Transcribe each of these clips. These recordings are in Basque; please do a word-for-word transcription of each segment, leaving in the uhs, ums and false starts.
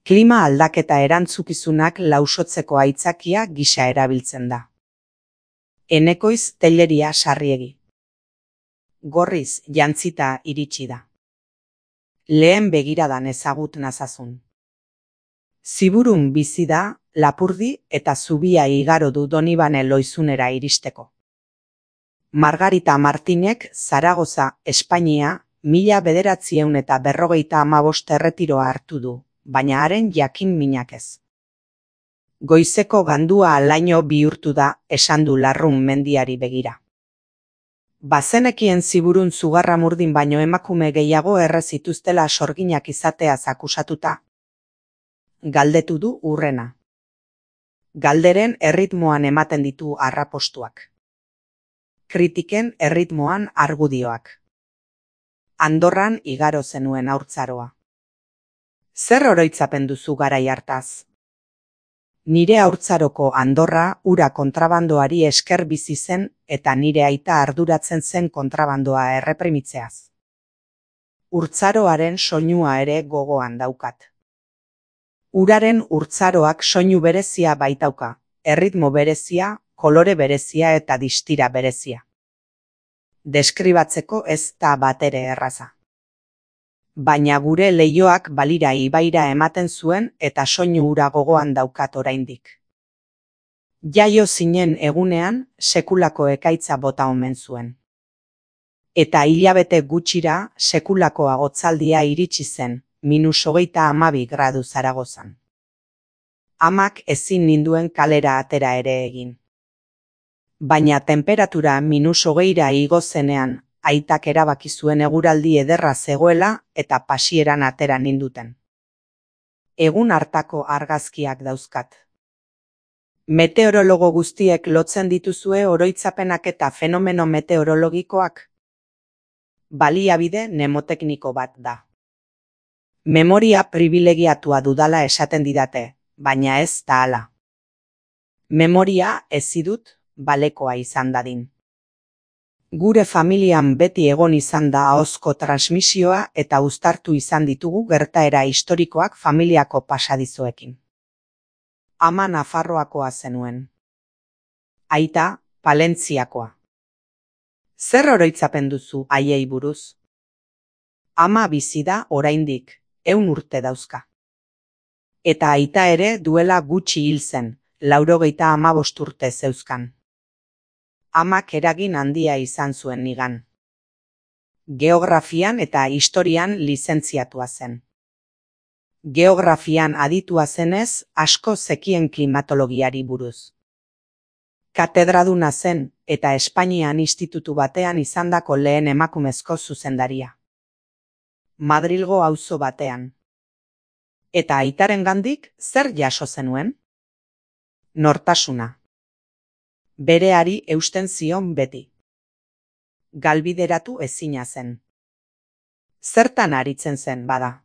Klima aldaketa erantzukizunak lausotzeko aitzakia gisa erabiltzen da. Enekoiz Telleria Sarriegi. Gorriz jantzita iritsi da. Lehen begiradan ezagut nazazun. Ziburun bizi da, Lapurdi eta zubia igaro du Donibane Loizunera iristeko. Margarita Martinek Zaragoza, Espainia, mila bederatziehun eta berrogeita hamabost erretiroa hartu du, baina haren jakin minak ez. Goizeko gandua alaino bihurtu da, esan du Larrun mendiari begira. Bazenekien Ziburun zugarra murdin baino emakume gehiago erre zituztela sorginak izateaz akusatuta. Galdetu du Urrena. Galderen erritmoan ematen ditu arrapostuak. Kritiken erritmoan argudioak. Andorran igaro zenuen haurtzaroa. Zer oroitzapen duzu garai hartaz? Nire haurtzaroko Andorra ura kontrabandoari esker bizi zen eta nire aita arduratzen zen kontrabandoa erreprimitzeaz. Urtzaroaren soinua ere gogoan daukat. Uraren urtzaroak soinu berezia baitauka, erritmo berezia, kolore berezia eta distira berezia. Deskribatzeko ez da batere erraza. Baina gure leihoak balira ibaira ematen zuen eta soinu ura gogoan daukat oraindik. Jaio zinen egunean sekulako ekaitza bota omen zuen. Eta hilabete gutxira sekulako agotzaldia iritsi zen, minus hogeita hamabi gradu Zaragozan. Amak ezin ninduen kalera atera ere egin. Baina temperatura minus hogeira igo zenean, aitak erabaki zuen eguraldi ederra zegoela eta pasieran atera ninduten. Egun hartako argazkiak dauzkat. Meteorologo guztiek lotzen dituzue oroitzapenak eta fenomeno meteorologikoak? Baliabide mnemotekniko bat da. Memoria pribilegiatua dudala esaten didate, baina ez da hala. Memoria ezidut balekoa izan dadin. Gure familian beti egon izan da ahozko transmisioa eta uztartu izan ditugu gertaera historikoak familiako pasadizoekin. Ama Nafarroakoa zenuen. Aita, Palentziakoa. Zer oroitzapen duzu haiei buruz? Ama bizi da oraindik, ehun urte dauzka. Eta aita ere duela gutxi hil zen, laurogeita hamabost urte zeuzkan. Amak eragin handia izan zuen nigan. Geografian eta historian lizentziatua zen. Geografian aditua zenez, asko zekien klimatologiari buruz. Katedraduna zen eta Espainian institutu batean izandako lehen emakumezko zuzendaria. Madrilgo auzo batean. Eta aitarengandik zer jaso zenuen? Nortasuna. Bereari eusten zion beti. Galbideratu ezina zen. Zertan aritzen zen bada?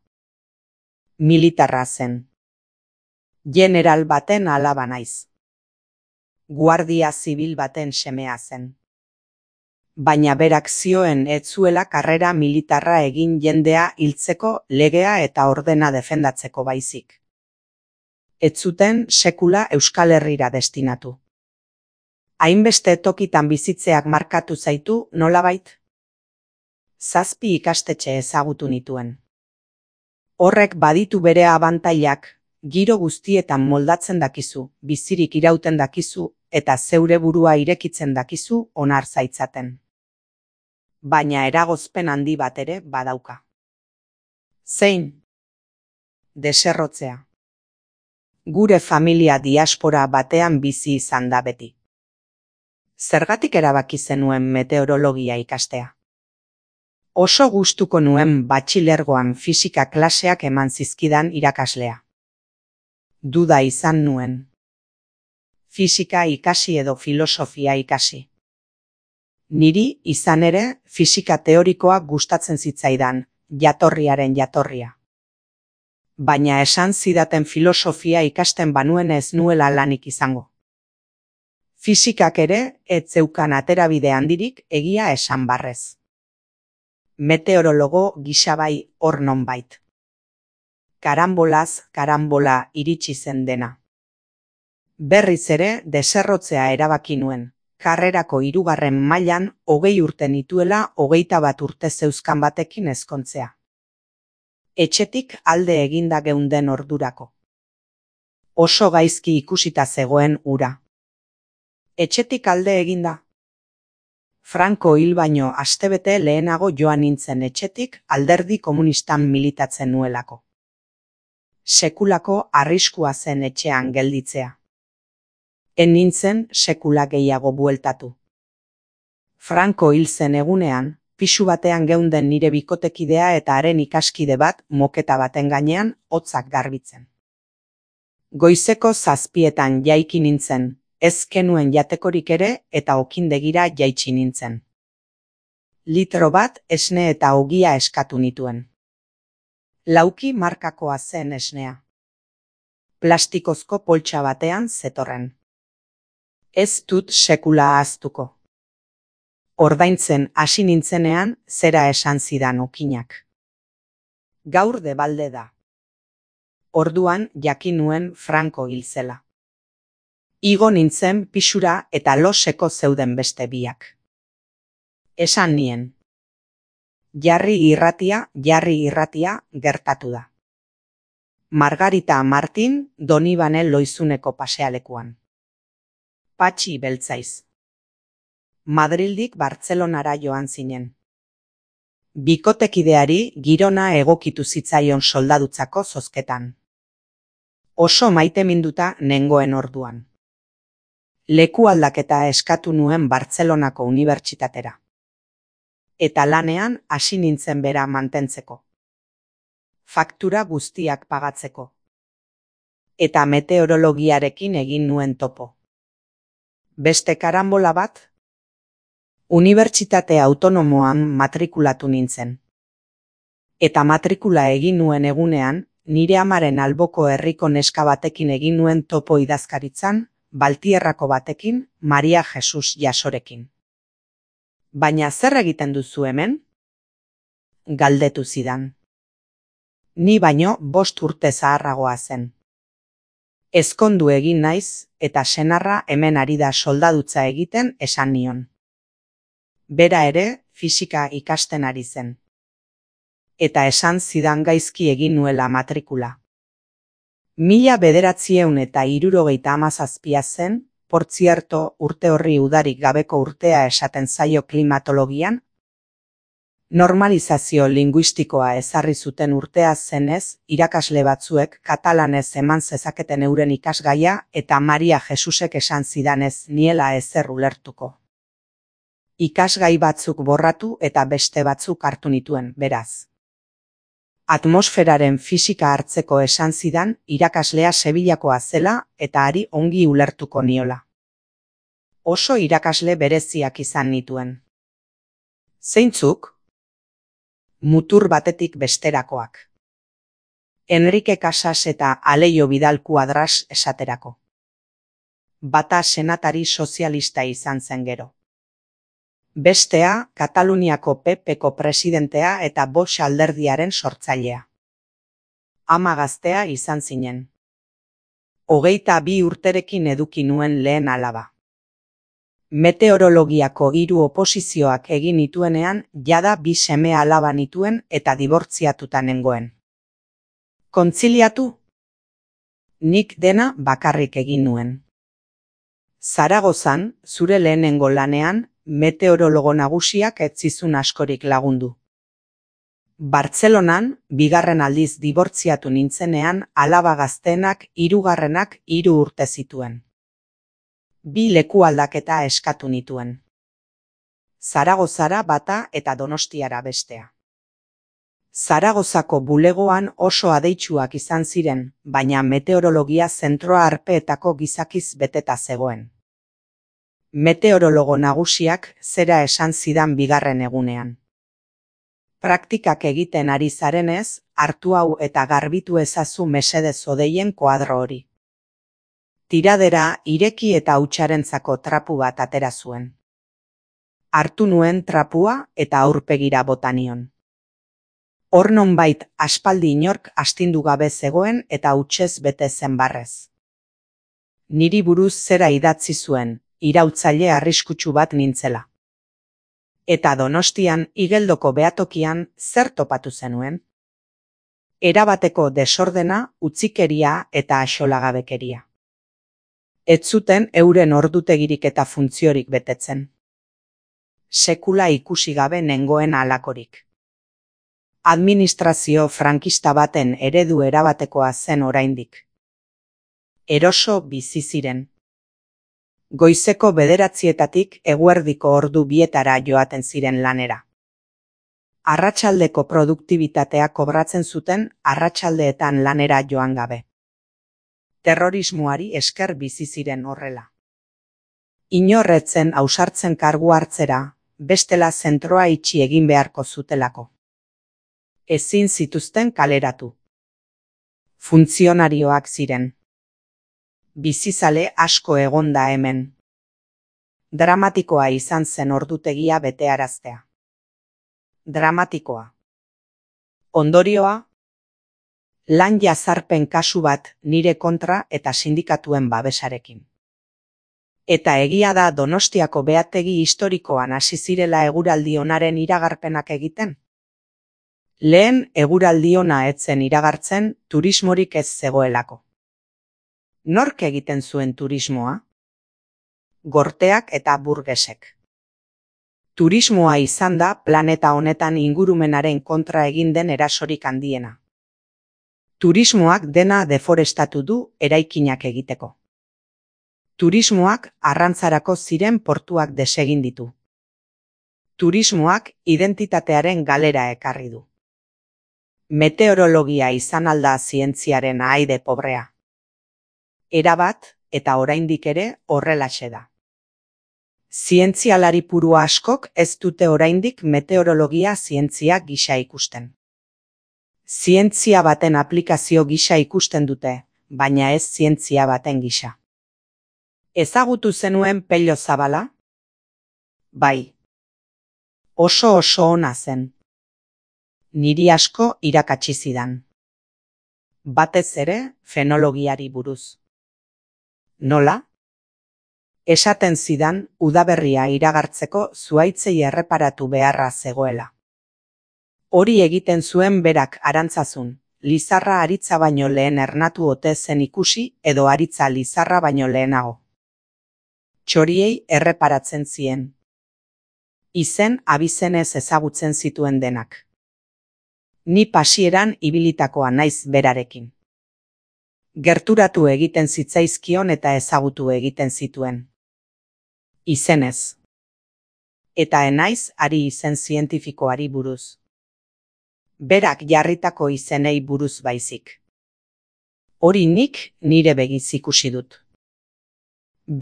Militarra zen. General baten alaba naiz. Guardia zibil baten semea zen. Baina berak zioen ez zuela karrera militarra egin jendea hiltzeko legea eta ordena defendatzeko baizik. Ez zuten sekula Euskal Herrira destinatu. Hainbeste tokitan bizitzeak markatu zaitu nolabait? Zazpi ikastetxe ezagutu nituen. Horrek baditu bere abantailak, giro guztietan moldatzen dakizu, bizirik irauten dakizu, eta zeure burua irekitzen dakizu onar zaitzaten. Baina eragozpen handi bat ere badauka. Zein? Deserrotzea. Gure familia diaspora batean bizi izan da beti. Zergatik erabaki zenuen meteorologia ikastea? Oso gustuko nuen batxilergoan fisika klaseak eman zizkidan irakaslea. Duda izan nuen. Fisika ikasi edo filosofia ikasi. Niri izan ere fisika teorikoa gustatzen zitzaidan, jatorriaren jatorria. Baina esan zidaten filosofia ikasten banuen ez nuela lanik izango. Fisikak ere ez zeukan aterabide handirik egia esan barrez. Meteorologo gisa bai hor nonbait. Karambolaz karambola iritsi zen dena. Berriz ere deserrotzea erabaki nuen, karrerako hirugarren mailan hogei urte nituela hogeita bat urte zeuzkan batekin ezkontzea. Etxetik alde eginda geunden ordurako. Oso gaizki ikusita zegoen hura. Etxetik alde eginda. Franco hil baino astebete lehenago joan nintzen etxetik alderdi komunistan militatzen nuelako. Sekulako arriskua zen etxean gelditzea. En nintzen sekula gehiago bueltatu. Franco hil zen egunean, pisu batean geunden nire bikotekidea eta haren ikaskide bat moketa baten gainean hotzak garbitzen. Goizeko zazpietan jaiki nintzen, ez kenuen jatekorik ere eta okindegira jaitsi nintzen. Litro bat esne eta ogia eskatu nituen. Lauki markakoa zen esnea. Plastikozko poltsa batean zetorren. Ez dut sekula ahaztuko. Ordaintzen hasi nintzenean zera esan zidan okinak. Gaur debalde da. Orduan jakin nuen Franco hil zela. Igo nintzen pisura eta loseko zeuden beste biak. Esan nien. Jarri irratia, jarri irratia gertatu da. Margarita Martin Donibane Loizuneko pasealekuan. Patxi beltzaiz. Madrildik Bartzelonara joan zinen. Bikotekideari girona egokitu zitzaion soldadutzako zozketan. Oso maiteminduta nengoen orduan. Leku aldaketa eskatu nuen Bartzelonako unibertsitatera. Eta lanean hasi nintzen bera mantentzeko. Faktura guztiak pagatzeko. Eta meteorologiarekin egin nuen topo. Beste karambola bat? Unibertsitate autonomoan matrikulatu nintzen. Eta matrikula egin nuen egunean, nire amaren alboko herriko neska batekin egin nuen topo idazkaritzan, Baltierrako batekin, Maria Jesus Jasorekin. Baina zer egiten duzu hemen? Galdetu zidan. Ni baino bost urte zaharragoa zen. Ezkondu egin naiz eta senarra hemen ari da soldadutza egiten esan nion. Bera ere fisika ikasten ari zen. Eta esan zidan gaizki egin nuela matrikula. Mila bederatzieun eta hirurogeita hamazazpia zen, portzierto urte horri udarik gabeko urtea esaten zaio klimatologian, normalizazio linguistikoa ezarri zuten urtea zenez, irakasle batzuek katalanez eman zezaketen euren ikasgaia eta Maria Jesusek esan zidanez niela ezer ulertuko. Ikasgai batzuk borratu eta beste batzuk hartu nituen, beraz. Atmosferaren fisika hartzeko esan zidan irakaslea Sevillakoa zela eta hari ongi ulertuko niola. Oso irakasle bereziak izan nituen. Zeintzuk? Mutur batetik besterakoak. Enrique Casas eta Aleio Vidal Cuadras esaterako. Bata senatari sozialista izan zen gero. Bestea, Kataluniako P Pko presidentea eta Bosch alderdiaren sortzailea. Ama gaztea izan zinen. Hogeita bi urterekin eduki nuen lehen alaba. Meteorologiako hiru oposizioak egin nituenean jada bi seme alaba nituen eta dibortziatuta nengoen. Kontziliatu? Nik dena bakarrik egin nuen. Zaragozan, zure lehenengo lanean, meteorologo nagusiak ez zizun askorik lagundu. Bartzelonan, bigarren aldiz dibortziatu nintzenean alaba gazteenak hirugarrenak hiru urte zituen. Bi leku aldaketa eskatu nituen. Zaragozara bata eta Donostiara bestea. Zaragozako bulegoan oso adeitsuak izan ziren, baina meteorologia zentroa arpeetako gizakiz beteta zegoen. Meteorologo nagusiak zera esan zidan bigarren egunean. Praktikak egiten ari zarenez, hartu hau eta garbitu ezazu mesedez odeien koadro hori. Tiradera ireki eta hautsarentzako trapu bat atera zuen. Hartu nuen trapua eta aurpegira bota nion. Hor nonbait aspaldi inork astindu gabe zegoen eta hutsez bete zen barrez. Niri buruz zera idatzi zuen, iraultzaile arriskutsu bat nintzela. Eta Donostian Igeldoko behatokian zer topatu zenuen? Erabateko desordena, utzikeria eta axolagabekeria. Ez zuten euren ordutegirik eta funtziorik betetzen. Sekula ikusi gabe nengoen halakorik. Administrazio frankista baten eredu erabatekoa zen oraindik. Eroso bizi ziren. Goizeko bederatzietatik eguerdiko ordu bietara joaten ziren lanera. Arratsaldeko produktibitatea kobratzen zuten arratsaldeetan lanera joan gabe. Terrorismoari esker bizi ziren horrela. Inorretzen ausartzen kargu hartzera, bestela zentroa itxi egin beharko zutelako. Ezin zituzten kaleratu. Funtzionarioak ziren. Bizizale asko egonda hemen. Dramatikoa izan zen ordutegia betearaztea. Dramatikoa. Ondorioa, lan jazarpen kasu bat nire kontra eta sindikatuen babesarekin. Eta egia da Donostiako behategi historikoan hasi zirela eguraldi onaren iragarpenak egiten? Lehen eguraldi ona ez zen iragartzen turismorik ez zegoelako. Nork egiten zuen turismoa? Gorteak eta burgesek. Turismoa izan da planeta honetan ingurumenaren kontra egin den erasorik handiena. Turismoak dena deforestatu du eraikinak egiteko. Turismoak arrantzarako ziren portuak desegin ditu. Turismoak identitatearen galera ekarri du. Meteorologia izan alda zientziaren ahaide pobrea. Erabat eta oraindik ere horrelaxe da. Zientzialari puru askok ez dute oraindik meteorologia zientzia gisa ikusten. Zientzia baten aplikazio gisa ikusten dute, baina ez zientzia baten gisa. Ezagutu zenuen Pello Zabala? Bai. Oso oso ona zen. Niri asko irakatsi zidan. Batez ere fenologiari buruz. Nola? Esaten zidan udaberria iragartzeko zuhaitzei erreparatu beharra zegoela. Hori egiten zuen berak Arantzazun, Lizarra aritza baino lehen ernatu ote zen ikusi edo aritza Lizarra baino lehenago. Txoriei erreparatzen zien. Izen abizenez ezagutzen zituen denak. Ni pasieran ibilitakoa naiz berarekin. Gerturatu egiten zitzaizkion eta ezagutu egiten zituen. Izenez. Eta enaiz ari izen zientifikoari buruz. Berak jarritako izenei buruz baizik. Hori nik nire begiz ikusi dut.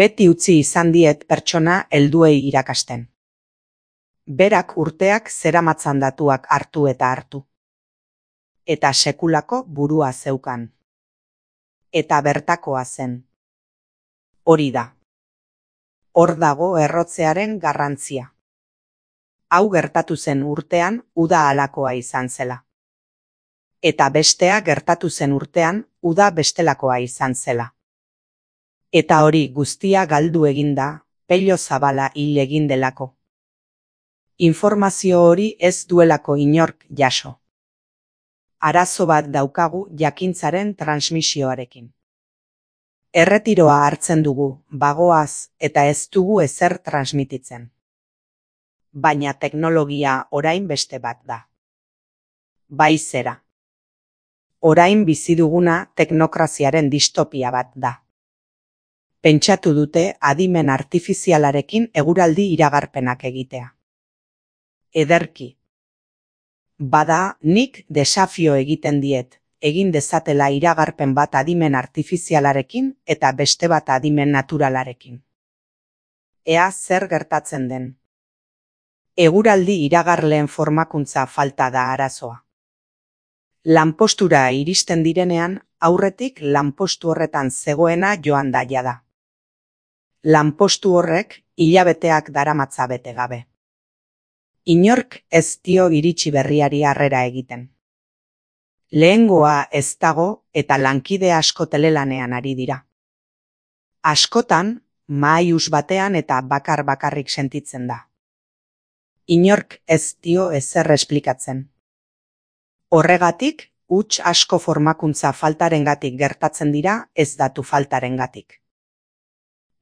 Beti utzi izan diet pertsona helduei irakasten. Berak urteak zeramatzan datuak hartu eta hartu. Eta sekulako burua zeukan. Eta bertakoa zen. Hori da. Hor dago errotzearen garrantzia. Hau gertatu zen urtean uda halakoa izan zela. Eta bestea gertatu zen urtean uda bestelakoa izan zela. Eta hori guztia galdu eginda, Pello Zabala hil egin delako. Informazio hori ez duelako inork jaso. Arazo bat daukagu jakintzaren transmisioarekin. Erretiroa hartzen dugu, bagoaz, eta ez dugu ezer transmititzen. Baina teknologia orain beste bat da. Bai zera. Orain bizi duguna teknokraziaren distopia bat da. Pentsatu dute adimen artifizialarekin eguraldi iragarpenak egitea. Ederki. Bada, nik desafio egiten diet, egin dezatela iragarpen bat adimen artifizialarekin eta beste bat adimen naturalarekin. Ea zer gertatzen den. Eguraldi iragarleen formakuntza falta da arazoa. Lanpostura iristen direnean, aurretik lanpostu horretan zegoena joan da jada. Lanpostu horrek hilabeteak daramatza bete gabe. Inork ez dio iritsi berriari harrera egiten. Lehengoa ez dago eta lankide asko telelanean ari dira. Askotan, mahai-hus batean eta bakar-bakarrik sentitzen da. Inork ez dio ezer esplikatzen. Horregatik, huts asko formakuntza faltarengatik gertatzen dira, ez datu faltarengatik.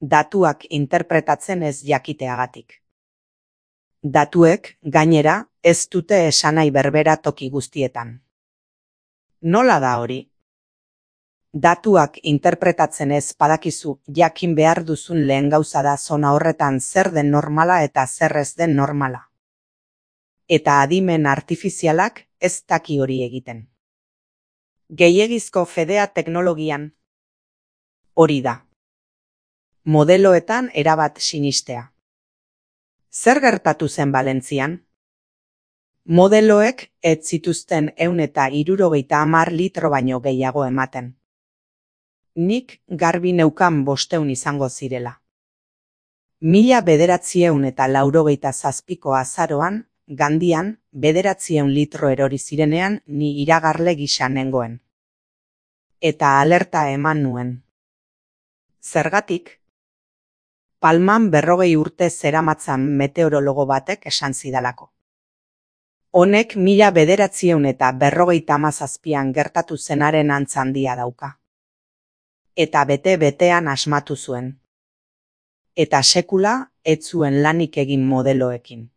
Datuak interpretatzen ez jakiteagatik. Datuek, gainera, ez dute esanahi berbera toki guztietan. Nola da hori? Datuak interpretatzen ez badakizu jakin behar duzun lehen gauza da zona horretan zer den normala eta zer ez den normala. Eta adimen artifizialak ez daki hori egiten. Gehiegizko fedea teknologian hori da. Modeloetan erabat sinistea. Zer gertatu zen Valentzian? Modeloek ez zituzten ehun eta hirurogeita hamar litro baino gehiago ematen. Nik garbi neukan bosteun izango zirela. Mila bederatzieun eta laurogeita zazpiko azaroan, Gandian, bederatzieun litro erori zirenean ni iragarle gisa nengoen. Eta alerta eman nuen. Zergatik? Palman berrogei urte zeramatzan meteorologo batek esan zidalako. Honek mila bederatzieun eta berrogeita hamazazpian gertatu zenaren antz handia dauka. Eta bete-betean asmatu zuen. Eta sekula ez zuen lanik egin modeloekin.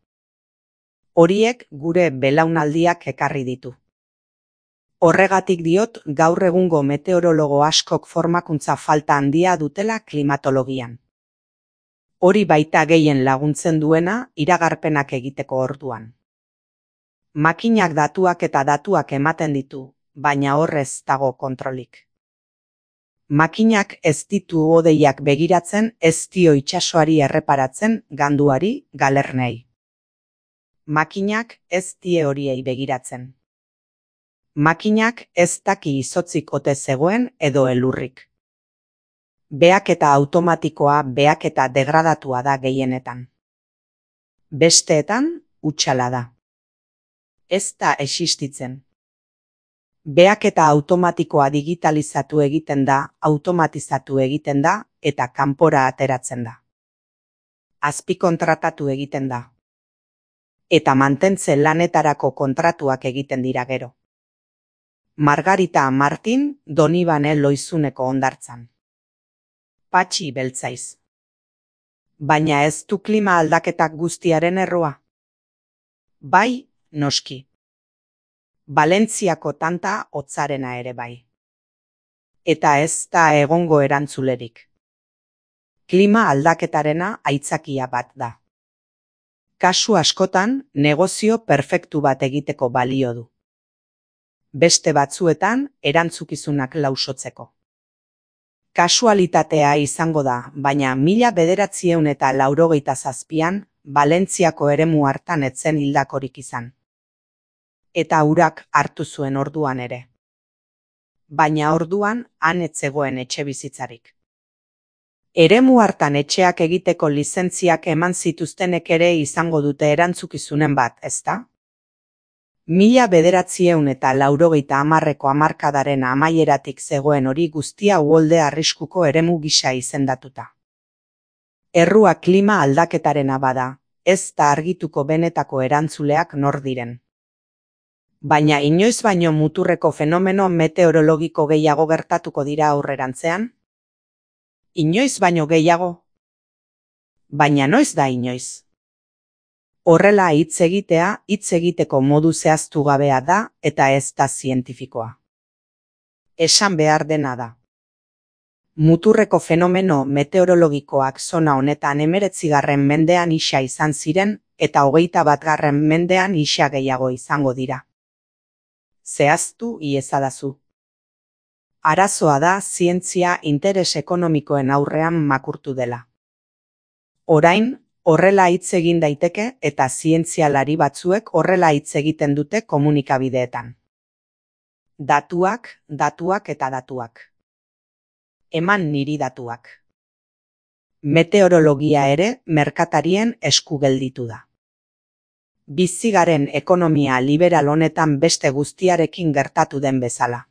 Horiek gure belaunaldiak ekarri ditu. Horregatik diot gaur egungo meteorologo askok formakuntza falta handia dutela klimatologian. Hori baita gehien laguntzen duena iragarpenak egiteko orduan. Makinak datuak eta datuak ematen ditu, baina horrez dago kontrolik. Makinak ez ditu hodeiak begiratzen, ez dio itsasoari erreparatzen, ganduari, galernei. Makinak ez die horiei begiratzen. Makinak ez daki izotzik ote zegoen edo elurrik. Behaketa automatikoa behaketa degradatua da gehienetan. Besteetan, hutsala da. Ez da existitzen. Behaketa automatikoa digitalizatu egiten da, automatizatu egiten da, eta kanpora ateratzen da. Azpikontratatu egiten da. Eta mantentze lanetarako kontratuak egiten dira gero. Margarita Martin, Donibane Loizuneko hondartzan. Patxi beltzaiz. Baina ez du klima aldaketak guztiaren errua? Bai, noski. Valentziako tanta hotzarena ere bai. Eta ez da egongo erantzulerik. Klima aldaketarena aitzakia bat da. Kasu askotan, negozio perfektu bat egiteko balio du. Beste batzuetan, erantzukizunak lausotzeko. Kasualitatea izango da, baina mila bederatzieun eta laurogeita zazpian, Valentziako eremu hartan etzen hildakorik izan. Eta urak hartu zuen orduan ere. Baina orduan, han ez zegoen etxe bizitzarik. Eremu hartan etxeak egiteko lizentziak eman zituztenek ere izango dute erantzukizunen bat, ezta? Mila bederatzieun eta laurogeita hamarreko hamarkadaren amaieratik zegoen hori guztia uholde arriskuko eremu gisa izendatuta. Errua klima aldaketarena bada, ez da argituko benetako erantzuleak nor diren. Baina inoiz baino muturreko fenomeno meteorologiko gehiago gertatuko dira aurrerantzean? Inoiz baino gehiago? Baina noiz da inoiz? Horrela hitz egitea hitz egiteko modu zehaztu gabea da eta ez da zientifikoa. Esan behar dena da. Muturreko fenomeno meteorologikoak zona honetan hemeretzigarren mendean isa izan ziren eta hogeita batgarren mendean isa gehiago izango dira. Zehaztu iezadazu. Arazoa da zientzia interes ekonomikoen aurrean makurtu dela. Orain, horrela hitz egin daiteke eta zientzialari batzuek horrela hitz egiten dute komunikabideetan. Datuak, datuak eta datuak. Eman niri datuak. Meteorologia ere merkatarien esku gelditu da. bizigaren ekonomia liberal honetan beste guztiarekin gertatu den bezala.